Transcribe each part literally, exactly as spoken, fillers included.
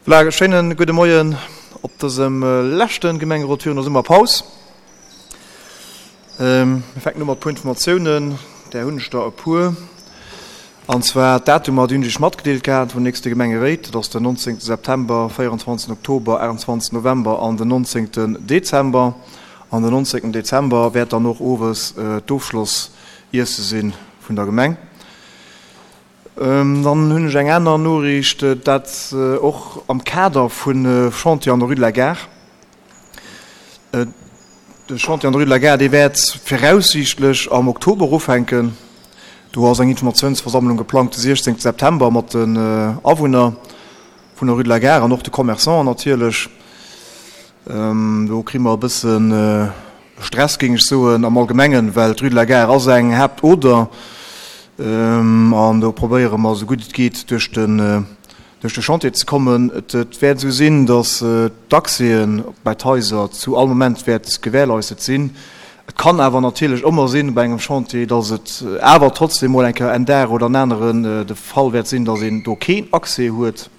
Voilà, schéinen gudde Moien op dësem leschte Gemengerot virun der Summerpaus. Mir fänken u mat e puer Informatiounen, där hunn ech der e puer. An zwar d'Datumer, déi hunn ech Iech matgedeelt gehat vun nächste Gemengeréit. Dat ass den nonzéngte September, véierundzwanzegsten Oktober, aachtundzwanzegsten November an den nonzéngten Dezember. An den nonzéngten Dezember wäert dann och owes d'Ofschlossiesse si vun der Gemeng. Dann hunn ech eng aner Noriicht, dat och am Kader vun Chantier an der Rue de la Gare. De Chantier an der Rue de la Gare, dee wäert viraussiichtlech am Oktober ufänken. Do ass eng Informatiounsversammlung geplangt de siechzéngte September mat den Awunner vun der Rue de la Gare an och de Commerçanten natierlech. Do kri mer e bësse Stress, géing ech soen, am Allgemengen, well d'Rue de la Gare ass eng Haaptoder an do probéiere mer, esou gutt et geet, duerch den duerch de Chantier ze kommen. Et wäert esou sinn, datt d'Accèsen bei d'Haiser zu all Moment wäert gewährleistet sinn. Et kann awer natierlech ëmmer sinn bei engem Chantier, datt et awer trotzdem mol eng Kéier en Dag oder en aneren de Fall wäert sinn, datt een do keen Accès huet.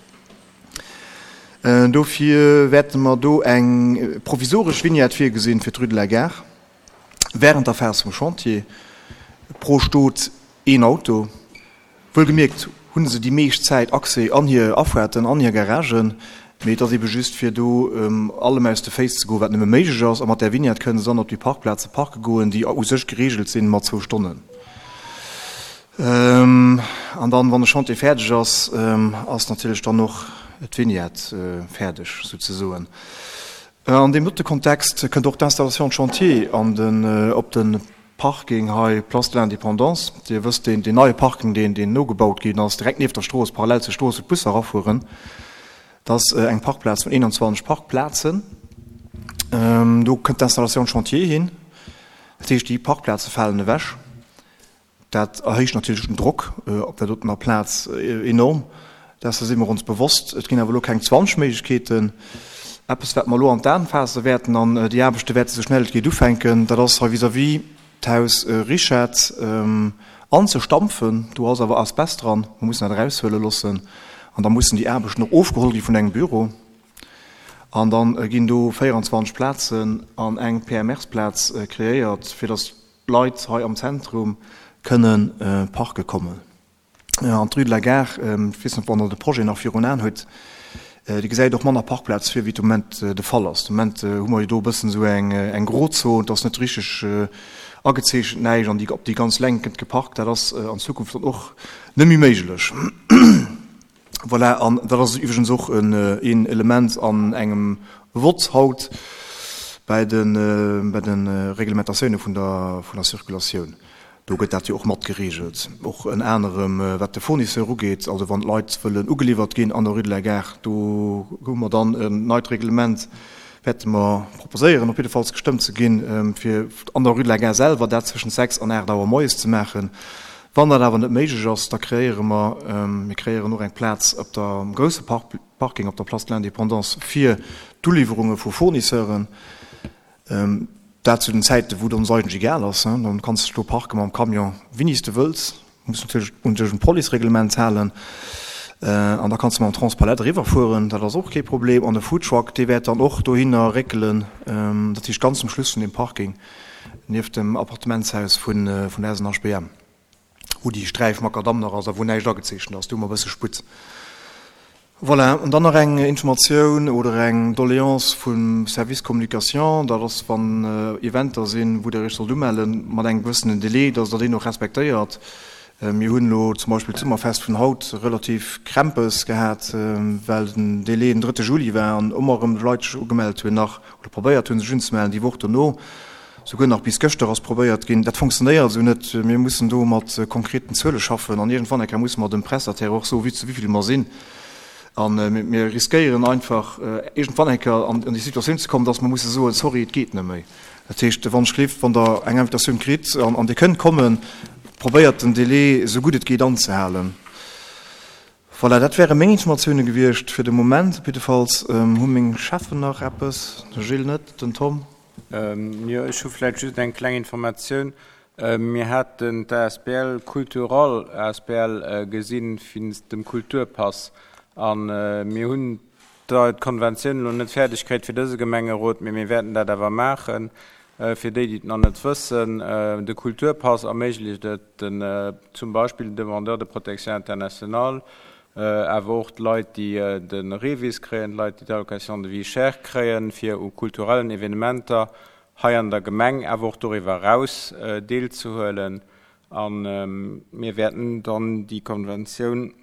Dofir wäerte mer do eng provisoresch Vignette virgesinn fir d'Rue de la Gare während der Phas vum Chantier. Pro Stot een Auto. Wuelgemierkt hu se déi meescht Zäit Accès an hir Afaarten, an hir Garagen, mee et ass ebe just fir do allem aus de Féiss ze goen, wat nëmme méiglech ass. A mat där Vignette kënne se dann op déi Parkplaze parke goen, déi u sech gereegelt sinn mat zwou Stonnen. An dann, wann de Chantier fäerdeg ass, ass natierlech dann och d'Vignette fäerdeg souzesoen. An deem dote Kontext kënnt och d'Installation de chantier an den, op de Parking hei Place de l'Indépendance. Dir wësst, deen, deen neie Parking, deen, deen nogebaut ginn ass, direkt nieft der Strooss, parallel zur Strooss, wou d'Busser erafueren. Dat ass eng Parkplaz vun eenanzwanzeg Parkplazen. Do kënnt d'Installation de chantier hin. Dat heescht, déi Parkplaze falen ewech. Dat erhéicht natierlech den Drock op där dotener Plaz enorm. Dessen si mer ons bewosst. Et ginn awer elo keng zwanzeg Méiglechkeeten. Eppes, wat mer elo an d'Aen faasse wäerten, an déi Aarbechte wäerte sou schnell et geet ufänken, dat ass hei vis-à-vis d'Haus Rischard anzestampfen. Do ass awer Asbest dran. Mer mussen dat eraushuele loossen. An da mussen déi Aarbechten och ofgeholl gi vun engem Büro. An da ginn do véierundzwanzeg Plazen an eng P M Rs-Plaz kreéiert, fir datt d'Leit hei am Zentrum kënne parke kommen. An d'Rue de la Gare, ech weess net, wann Der de Projet nach virun Aen hutt, déi gesäit och manner Parkplaz vir, wéi et de Moment de Fall ass. De Moment hu mer jo do e bëssen esou eng eng Grozon, et ass net richteg agezeechent, näischt, an déi op déi ganz Längt gëtt geparkt. Dat ass an Zukunft dann och net méi méiglech. Voilà, an dat ass iwwregens och een Element an engem Vott haut bei de bei de Reglementatioune vun der vun der Circulatioun. Do gëtt dat jo och mat geregelt, och ënner anerem wat de Fournisseur ugeet, also wann d'Leit wëllen ugeliwwert ginn an der Rue de la Gare, do hu mer dann en neit Reglement, wäerte mer proposéieren, op jiddefalls gestëmmt ze ginn, fir an der Rue de la Gare selwer dat zwëschent sechs an aacht Auer moies ze maachen. Wann dat awer net méiglech ass, da kreéiere mer, mir kreéieren och eng Plaz op der, um grousse Parking op der Place de l'Indépendance fir d'Uliwwerunge vu Fournisseuren. Dat zu den Zäiten, wou et ons eigentlech egal ass. Dann kanns de do parke mam Camion, wéini s de wëlls. Muss natierlech un dech un d'Policereglement halen. An da kanns de mam Transpalette eriwwerfueren, dat ass och kee Problem. An de Foodtruck, dee wäert dann och dohinner réckelen, dat heescht ganz zum Schluss vun deem Parking, nieft dem Appartementshaus vun der S N H B M, wou déi Sträif Makadamm nach ass a wou näischt agezeechent ass. Do hu mer e bësse Sputt. Voilà, an dann nach eng Informatioun oder eng Doléance vum Service Communication, dat ass, wann Eventer sinn, wou Der Iech sollt umellen, mat engem gewëssenen Délai, dass Der deen och respektéiert. Mir hunn elo zum Beispill d'Summerfest vun haut relativ Krämpes gehat, well den Délai den drëtte Juli war an ëmmer erëm Leit sech ugemellt hunn nach oder probéiert hunn, sech unzemellen déi Woch dono. Souguer nach bis gëschter ass probéiert ginn. Dat fonctionnéiert esou net. Mir mussen do mat konkreten Zuele schaffen an iergendwann eng Kéier musse mer dem Prestataire och soen, zu wéi vill mer sinn. A mir riskéieren einfach iergendwann eng Kéier an déi Situatioun ze kommen, dass mer musse soen, sorry, et geet net méi. Dat heescht, wann ech gleeft, wann Der eng Invitatioun kritt an Dir kënnt kommen, probéiert den Délai esou gutt et geet anzehalen. Voilà, dat wäre meng Informatioune gewiescht fir de Moment. Op jiddefalls hu meng Cheffen nach eppes, de Gilles net, den Tom. Jo, ech hu vläicht just eng kleng Informatioun. Mir haten d'A S B L Cultural A S B L gesinn wéinst dem Kulturpass a mir hunn d'Konventioun elo net fäerdeg kritt fir dëse Gemengerot, mee mir wäerten dat awer maachen. Fir déi, déi et nach net wëssen, de Kulturpass erméiglecht et den, zum Beispill den Demandeurs de protection internationale, awer och d'Leit, déi de REVIS kréien, d'Leit, déi d'Allocation de vie chère kréien, fir u kulturellen Evenementer hei an der Gemeng, awer och doriwwer eraus deelzehuelen. A mir wäerten dann déi Konventioun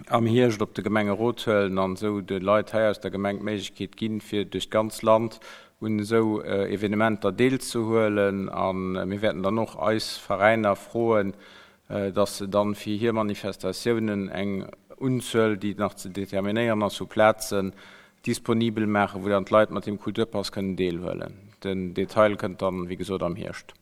am Hierscht op de Gemengerot huelen an esou de Leit hei aus der Gemeng d'Méiglechkeet ginn, fir duerch d'ganz Land un esou Evenementer deelzehuelen. A mir wäerten dann och eis Veräiner froen, dass se dann fir hir Manifestatiounen eng Unzuel, déi nach ze determinéieren ass, vu Plazen disponibel maachen, wou dann d'Leit mat deem Kulturpass kënnen deelhuelen. Den Detail kënnt dann, wéi gesot, am Hierscht.